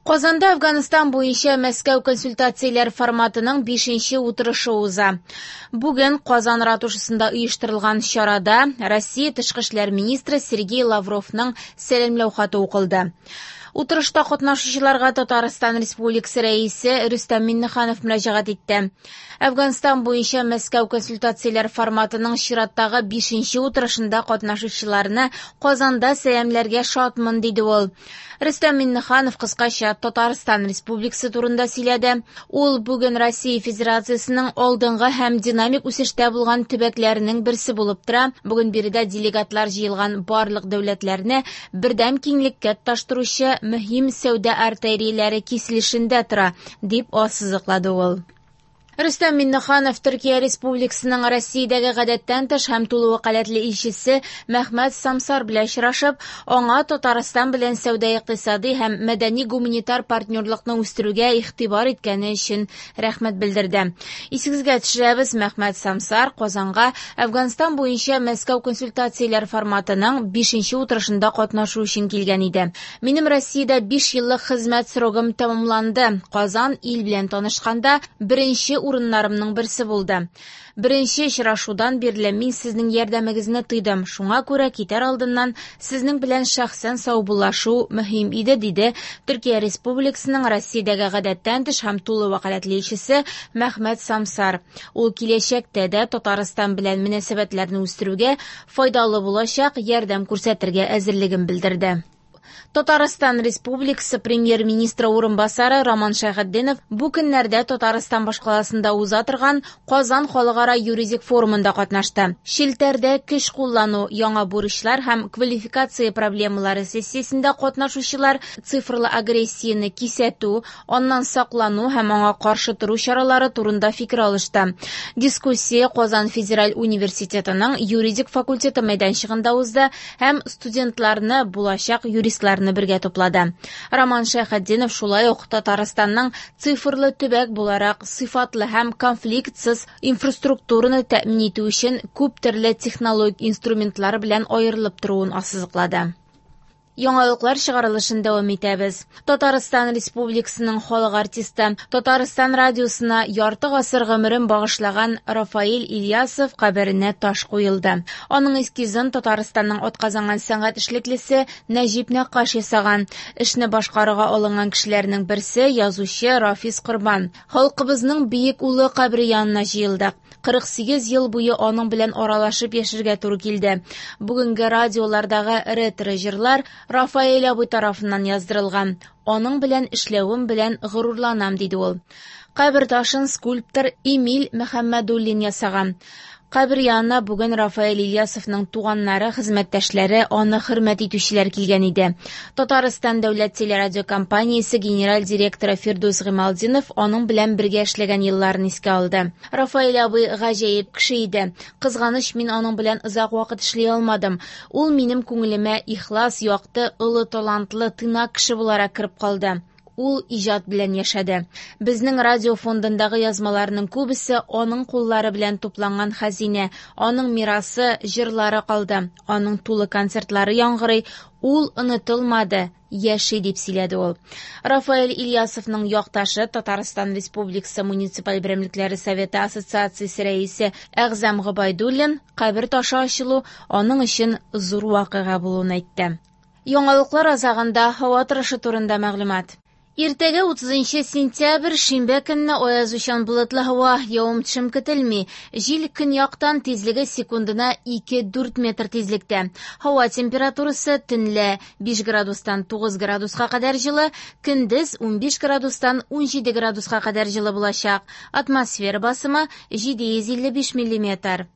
Казанда Әфганстан буенча Мәскәү консультацияләр форматының 5нче утырышы уза. Бүген Казан ратушасында оештырылган чарада Россия тышкы эшләр министры Сергей Лавровның сәламләү хаты укылды. Утырышта катнашучыларга Татарстан Республикасы Рәисе Рөстәм Миңнеханов мөрәҗәгать итте. Әфганстан буенча Мәскәү консультацияләр форматының чираттагы 5нче утырышында катнашучыларны Казанда сәламләргә шатмын, диде ул. Рөстәм Миңнеханов кыскача Татарстан Республикасы турында сөйләде. Ул бүген Россия Федерациясенең алдынгы һәм динамик үсештә булган төбәкләренең берсе булып тора. Бүген биредә делегатлар җыелган барлык дәүләтләрне бердәм киңлеккә тоташтыручы мөһим сәүдә артерияләре киселешендә тора, дип ассызыклады ул. Рөстәм Миңнеханов Төркия Республикасының Россиядәге гадәттән тыш һәм тулы вәкаләтле илчесе Мәхмәт Самсар белән очрашып, аңа Татарстан белән сәүдә-икътисади һәм мәдәни-гуманитар партнерлыкны үстерүгә игътибар иткәне өчен рәхмәт белдерде. Исегезгә төшерәбез, Мәхмәт Самсар Казанга Әфганстан буенча Мәскәү консультацияләр форматының 5нче утырышында катнашу өчен килгән иде. Минем Россиядә 5 еллык хезмәт срогым тәмамланды. Казан ил белән танышканда беренче урыннарымның берсе булды. Беренче очрашудан бирле мин сезнең ярдәмегезне тойдым. Шуңа күрә китәр алдыннан сезнең белән шәхсән саубуллашу мөһим иде, диде Төркия Республикасының Россиядәге гадәттән тыш һәм тулы вәкаләтле илчесе Мәхмәт Самсар. Ул киләчәктә дә Татарстан белән мөнәсәбәтләрне үстерүгә файдалы булачак ярдәм күрсәтергә әзерлеген белдерде. Татарстан Республикасы премьер-министры урынбасары Роман Шәйхетдинов бу көннәрдә Татарстан башкаласында уза торган Казан халыкара юридик форумында катнашты. Челтәрдә көч куллану, яңа бурычлар һәм квалификация проблемалары сессиясендә катнашучылар цифрлы агрессияне кисәтү, аннан саклану һәм аңа каршы тору чаралары турында фикер алышты. Дискуссия Казан федераль университетының юридик факультеты мәйданчыгында узды һәм студентларны, булачак юристларны бергә туплады. Роман Шәйхетдинов шулай ук Татарстанның цифрлы төбәк буларак сыйфатлы һәм конфликтсыз инфраструктураны тәэмин итү өчен күп төрле технологик инструментлар белән аерылып торуын ассызыклады. Яңалыклар чыгарылышын дәвам итәбез. Татарстан Республикасының халык артисты, Татарстан радиосына ярты гасыр гомерен багышлаган Рафаэль Ильясов каберенә таш куелды. Аның эскизын Татарстанның атказанган сәнгать эшлеклесе Нәҗип Нәккаш ясаган. Эшне башкарырга алынган кешеләрнең берсе язучы Рафис Корбан. Халкыбызның бөек улы кабере янына җыелдык. 48 ел буе аның белән аралашып яшәргә туры килде. Бүгенге радиолардагы ретро җырлар Рафаэль абый тарафыннан яздырылган. Аның белән эшләвем белән горурланам, диде ул. Кабер ташын скульптор Эмиль Мөхәммәдуллин ясаган. Кабер янына бүген Рафаэль Ильясовның туганнары, хезмәттәшләре, аны хөрмәт итүчеләр килгән иде. Татарстан дәүләт телерадиокомпаниясе генераль директоры Фирдүс Гыймалтдинов аның белән бергә эшләгән елларын искә алды. Рафаэль абый гаҗәеп кеше иде. Кызганыч, мин аның белән озак вакыт эшли алмадым. Ул минем күңелемә ихлас, якты, олы талантлы, тыйнак кеше буларак кереп калды. Ул иҗат белән яшәде. Безнең радио фондындагы язмаларның күбесе аның куллары белән тупланган хәзинә, аның мирасы, җырлары калды. Аның тулы концертлары яңгырый, ул онытылмады, яши, дип сөйләде ул. Рафаэль Ильясовның якташы, Татарстан Республикасы муниципаль берәмлекләре советы ассоциациясе рәисе Әгъзам Гобәйдуллин кабер ташы ачылу аның өчен зур вакыйга булуын әйтте. Яңалыклар азагында һава торышы турында мәгълүмат. Иртәгә 30 сентябрь шимбә көнне аязучан болытлы һава, явым-төшем көтелми. Җил көньяктан, тизлеге секундына 2-4 метр тизлектә. Һава температурасы төнлә 5 градустан 9 градуска кадәр җылы, көндез 15 градустан 17 градуска кадәр җылы булачак. Атмосфера басымы 755 миллиметр.